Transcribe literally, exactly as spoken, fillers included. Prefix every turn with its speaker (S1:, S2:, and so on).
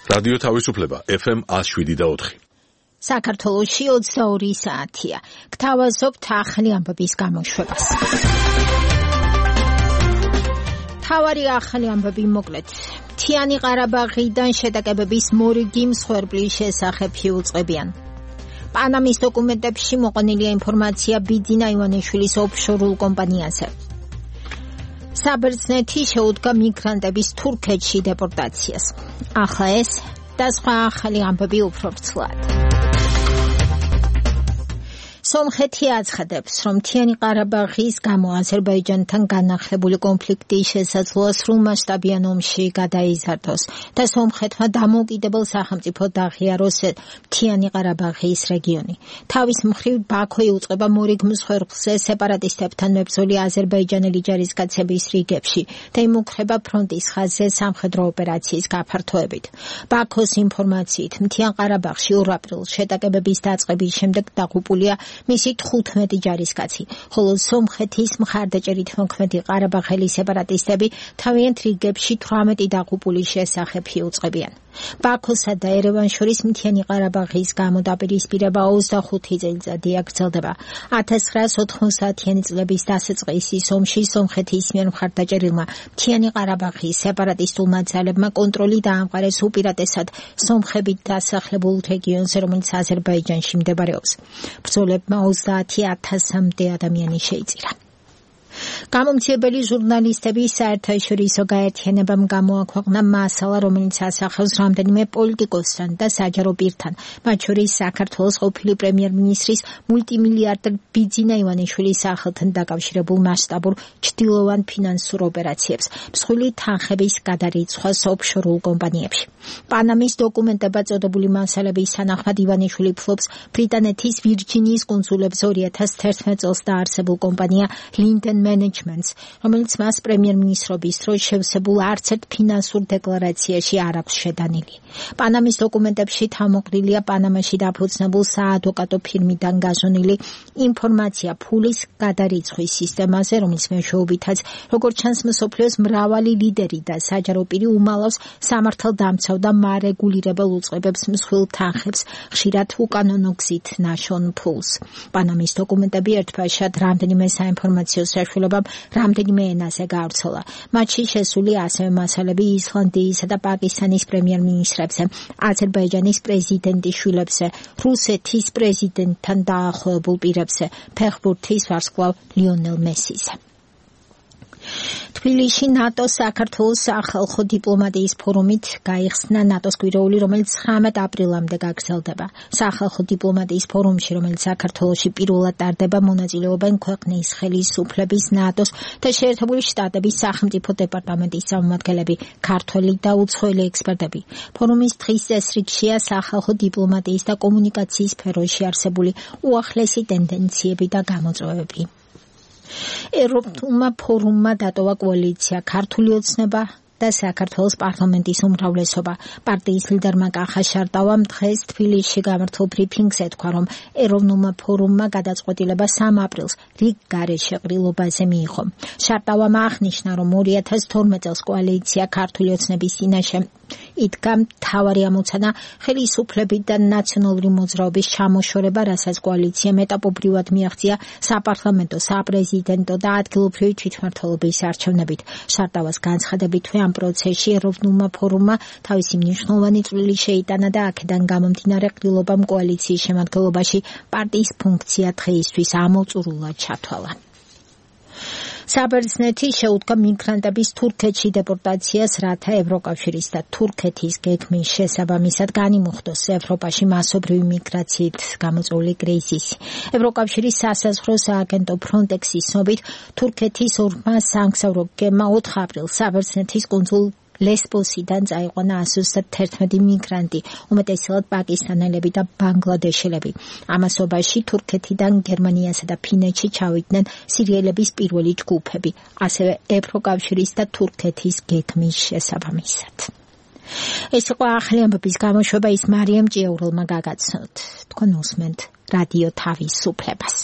S1: რადიო თავისუფლება F M one oh seven და four.
S2: საქართველოში ოცდაორი საათია. გთავაზობთ ახალი ამბების გამოშვებას. თავარი ახალი ამბები მოკლედ. მთიანი ყარაბაღიდან შეტაკებების მორიგი მსხვერპლის შესახებ იუწყებიან. პანამის დოკუმენტებში მოყვანილია ინფორმაცია ბიძინა ივანიშვილის ოფშორულ კომპანიაზე. საბერძნეთი შეუდგა მიგრანტების თურქეთში დეპორტაციას. ახლა ეს და სხვა ახალი ამბები უფრო ვრცლად. სომხეთი აცხადებს, რომ მთიანი ყარაბაღის გამო აზერბაიჯანთან განახლებული კონფლიქტის შესაძლოა სრულმასშტაბიან ომში გადაიზარდოს და სომხეთმა დამოუკიდებელ სახელმწიფო დააღიაროს მთიანი ყარაბაღის რეგიონი. თავის მხრივ ბაქო იუწყება მორიგ მსხვერპლზე სეპარატისტებთან მებრძოლი აზერბაიჯანელი ჯარისკაცების რიგებში და იმუქრება ფრონტის ხაზზე სამხედრო ოპერაციის გაფართოებით. ბაქოს ინფორმაციით, მთიან ყარაბაღში ორ აპრილს შეტაკებების დაწყების შემდეგ დაღუპულია მისი თხუთმეტი ჯარისკაცი, ხოლო სომხეთის მხარდაჭერით მოქმედი ყარაბაღელი სეპარატისტები თავიანთ რიგებში თვრამეტი დაღუპულის შესახებ იუწყებიან. ბაქოსა და ერევანს შორის მთიანი ყარაბაღის გამო დაპირისპირება ოცდახუთი წელიწადია გრძელდება. ათას ცხრაას ოთხმოცდაათიანი წლების დასაწყისის ომში სომხეთის მიერ მხარდაჭერილმა მთიანი ყარაბაღის სეპარატისტულმა ძალებმა კონტროლი დაამყარეს უპირატესად სომხებით დასახლებულ რეგიონზე, რომელიც აზერბაიჯანში მდებარეობს. ბრძოლებმა ოცდაათი ათასამდე ადამიანი შეიწირა. გამომცემელი ჟურნალისტების საერთაშორისო გაერთიანებამ გამოაქვეყნა მასალა, რომელიც ასახავს რამდენიმე პოლიტიკოსთან და საჯარო პირთან, მათ შორის საქართველოს ყოფილი პრემიერ-მინისტრის მულტიმილიარდერ ბიძინა ივანიშვილის სახელთან დაკავშირებულ მასშტაბურ ჩრდილოვან ფინანსურ ოპერაციებს, მსხვილი თანხების გადარიცხვას ოფშორულ კომპანიებში. პანამის დოკუმენტებად წოდებული მასალების თანახმად ივანიშვილი ფლობს ბრიტანეთის ვირჯინიის კუნძულებზე ორი ათას თერთმეტ წელს დაარსებულ კომპანია Linden Managements, რომელიც მას პრემიერ-მინისტრობის დროს შევსებულ არც ერთ ფინანსურ დეკლარაციაში არ აქვს შეტანილი. პანამის დოკუმენტებში თავმოყრილია პანამაში დაფუძნებულ საადვოკატო ფირმიდან გაზონილი ინფორმაცია ფულის გადარიცხვის სისტემაზე, რომლის მეშვეობითაც, როგორც ჩანს, მსოფლიოს მრავალი ლიდერი და საჯარო პირი უმალავს სამართალდამცავ და მარეგულირებელ უწყებებს მსხვილ თანხებს, ხშირად უკანონო გზით ნაშონ ფულს. პანამის დოკუმენტები ერთბაშად რამდენიმე საინფორმაციო საშუალებამ რამდენიმე ენაზე გავრცელა. მათში შესული ასევე მასალები ისლანდიისა და პაკისტანის პრემიერ-მინისტრებზე, აზერბაიჯანის პრეზიდენტის შვილებზე, რუსეთის პრეზიდენტთან დაახლოებულ პირებზე, ფეხბურთის ვარსკვლავ ლიონელ მესიზე. თბილისში ნატოს საქართველოს სახალხო დიპლომატიის ფორუმით გაიხსნა ნატოს კვირაული, რომელიც ცხრამეტ აპრილამდე გაგრძელდება. სახალხო დიპლომატიის ფორუმში, რომელიც საქართველოში პირველად ტარდება, მონაწილეობენ ქვეყნის ხელისუფლების, ნატოს და შეერთებული შტატების სახელმწიფო დეპარტამენტის წარმომადგენლები, ქართველი და უცხოელი ექსპერტები. ფორუმის დღის წესრიგშია სახალხო დიპლომატიის და კომუნიკაციის სფეროში არსებული უახლესი ტენდენციები და გამოწვევები. ევროპულმა ფორუმმა დატოვა კოალიცია ქართული ოცნება და საქართველოს პარლამენტის უმრავლესობა. პარტიის ლიდერმა კახა შარტავამ დღეს თბილისში გამართულ ბრიფინგზე თქვა, რომ ეროვნულმა ფორუმმა გადაწყვეტილება სამ აპრილს რიგ გარეშე ყრილობაზე მიიღო. შარტავამ აღნიშნა, რომ ორი ათას თორმეტ წელს კოალიცია ქართული ოცნების წინაშე იდგა მთავარი ამოცანა ხელისუფლებით და ნაციონალური მოძრაობის ჩამოშორება, რასაც კოალიციამ ეტაპობრივად მიაღწია საპარლამენტო, საპრეზიდენტო და ადგილობრივი თვითმმართველობის არჩევნებით. შარტავას განცხადებითვე ამ პროცესში ეროვნულმა ფორუმმა თავისი მნიშვნელოვანი წვლილი შეიტანა და აქედან გამომდინარე ყრილობამ კოალიციის შემადგენლობაში პარტიის ფუნქცია დღეისთვის ამოწურულად ჩათვალა. საბერძნეთი შეუდგა მიგრანტების თურქეთში დეპორტაციას, რათა ევროკავშირის და თურქეთის გეგმის შესაბამისად განიმუხტოს ევროპაში მასობრივი მიგრაციით გამოწვეული კრიზისი. ევროკავშირის სასაზღვრო სააგენტო ფრონტექსის ცნობით, თურქეთის ორმა სამგზავრო გემმა ოთხ აპრილს საბერძნეთის კუნძულ ლესბოსიდან წაიყვანა ათას ოცდათერთმეტი მიგრანტი, უმეტესად პაკისტანელები და ბანგლადეშელები. ამასობაში თურქეთიდან გერმანიასა და ფინეთში ჩავიდნენ სირიელების პირველი ჯგუფები, ასევე ევროკავშირის და თურქეთის გეგმის შესაბამისად. ეს იყო ახალი ამბების გამოშვება, ის მარიამ ჭიაურელმა გაგაცნოთ. თქვენ უსმენთ რადიო თავისუფლებას.